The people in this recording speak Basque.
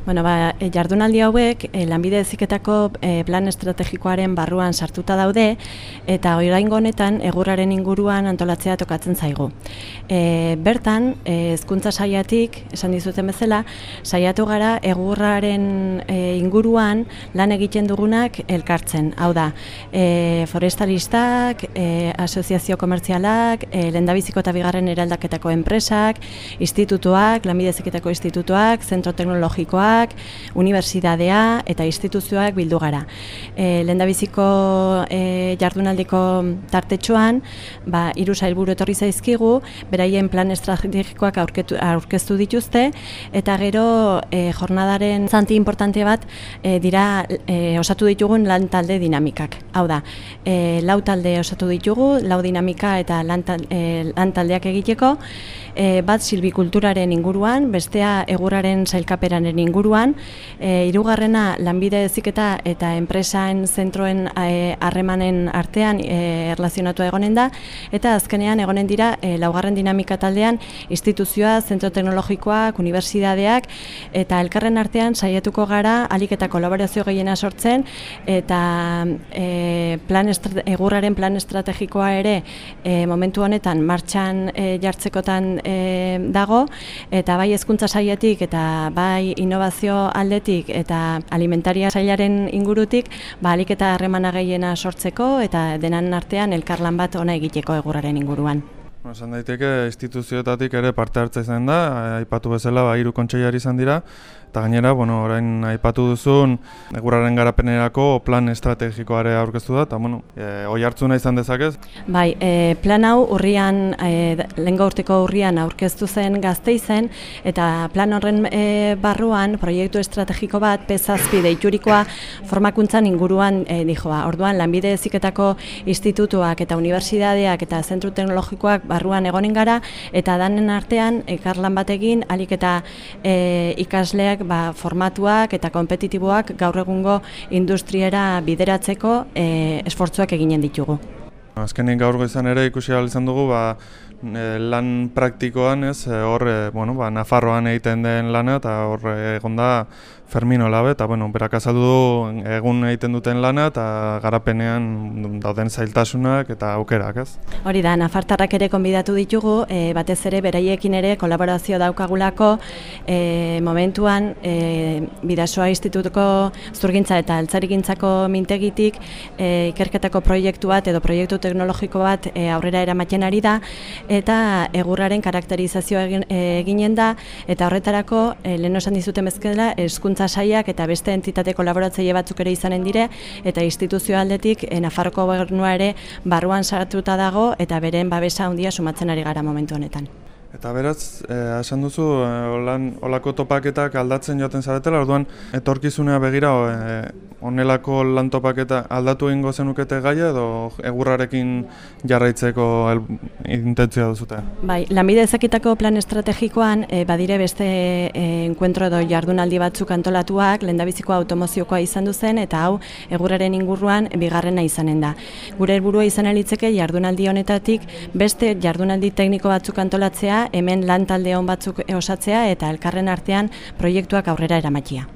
Bueno, jardunaldi hauek Lanbide Heziketako plan estrategikoaren barruan sartuta daude eta oraingo honetan egurraren inguruan antolatzea tokatzen zaigu. Bertan, hezkuntza saiatik, esan dizuten bezala, saiatu gara egurraren inguruan lan egiten dugunak elkartzen. Hau da, forestalistak, asoziazio komertzialak, lehendabiziko eta bigarren eraldaketako enpresak, institutuak, Lanbide Heziketako institutuak, zentro teknologikoak, unibertsitatea eta instituzioak bildu gara. Lehendabiziko jardunaldiko tartetxoan, 3 sailburu etorri zaizkigu, beraien plan estrategikoak aurkeztu dituzte, eta gero jornadaren zanti importante bat dira osatu ditugun lan talde dinamikak. Hau da, 4 talde osatu ditugu, 4 dinamika eta lan taldeak egiteko, bat silbikulturaren inguruan, bestea egurraren sailkaperaren inguruan, 3. Lanbide Heziketa eta enpresaen zentroen harremanen artean erlazionatua egonen da, eta azkenean egonen dira 4. dinamika taldean instituzioa, zentro teknologikoak, unibertsitateak, eta elkarren artean saiatuko gara ahalik eta kolaborazio gehiena sortzen, eta egurraren plan estrategikoa ere momentu honetan martxan jartzekotan dago, eta bai hezkuntza sailetik eta bai innovazio aldetik eta alimentaria sailaren ingurutik, ahalik eta harremana gehiena sortzeko eta denan artean elkarlan bat ona egiteko egurraren inguruan. Esan daiteke instituzioetatik ere parte hartza izan da, aipatu bezala 3 kontseilari izan dira, eta gainera, orain aipatu duzun egurraren garapenerako plan estrategikoare aurkeztu da, eta oi hartzuna izan dezakez? Bai, plan hau lehengo urteko urrian aurkeztu zen Gasteizen, eta plan horren barruan proiektu estrategiko bat P7 deiturikoa formakuntzan inguruan dijoa. Orduan, Lanbide Heziketako institutuak eta unibertsitateak eta zentro teknologikoak barruan egonen gara, eta danen artean elkarlan batekin ahalik eta ikasleak formatuak eta kompetitiboak gaur egungo industriera bideratzeko esfortzuak eginen ditugu. Azkenik gaur goizan ere ikusi ahal izan dugu lan praktikoan, hor Nafarroan egiten den lana, eta hor egon da Fermino Labe, eta berak azaldu du egun egiten duten lana eta garapenean dauden zailtasunak eta aukerak, ez? Hori da, nafartarrak ere konbidatu ditugu, batez ere beraiekin ere kolaborazio daukagulako momentuan Bidasoa Institutuko Zurgintza eta Altzarigintzako mintegitik ikerketako proiektu bat edo proiektu teknologiko bat aurrera eramaten ari da, eta egurraren karakterizazioa eginen da, eta horretarako lehen esan dizuten bezala hezkuntza saiak eta beste entitate kolaboratzaile batzuk ere izanen dire, eta instituzio aldetik Nafarroko gobernua ere barruan sartuta dago, eta beren babesa handia sumatzen ari gara momentu honetan. Eta beraz, esan duzu, olako topaketak aldatzen joaten zaretela, orduan etorkizunea begira onelako lan topaketa aldatu egingo zenukete gaia edo egurrarekin jarraitzeko intentzioa duzute? Bai, Lanbide Heziketako plan estrategikoan badire beste enkuentro edo jardunaldi batzuk antolatuak, lehendabizikoa automoziokoa izan duzen, eta hau egurraren inguruan bigarrena izanen da. Gure helburua izan litzeke jardunaldi honetatik beste jardunaldi tekniko batzuk antolatzea, hemen lan talde on batzuk osatzea eta elkarren artean proiektuak aurrera eramatea.